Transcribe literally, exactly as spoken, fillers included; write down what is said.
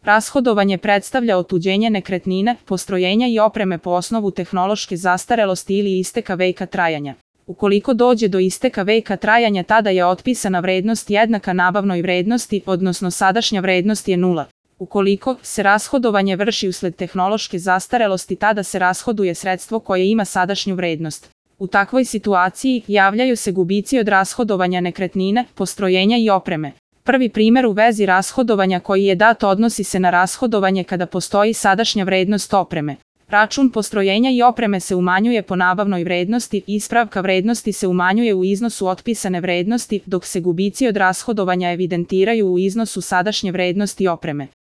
Rashodovanje predstavlja otuđenje nekretnine, postrojenja i opreme po osnovu tehnološke zastarelosti ili isteka veka trajanja. Ukoliko dođe do isteka veka trajanja, tada je otpisana vrednost jednaka nabavnoj vrednosti, odnosno sadašnja vrednost je nula. Ukoliko se rashodovanje vrši usled tehnološke zastarelosti, tada se rashoduje sredstvo koje ima sadašnju vrednost. U takvoj situaciji javljaju se gubici od rashodovanja nekretnine, postrojenja i opreme. Prvi primer u vezi rashodovanja koji je dat odnosi se na rashodovanje kada postoji sadašnja vrednost opreme. Račun postrojenja i opreme se umanjuje po nabavnoj vrednosti, ispravka vrednosti se umanjuje u iznosu otpisane vrednosti, dok se gubici od rashodovanja evidentiraju u iznosu sadašnje vrednosti opreme.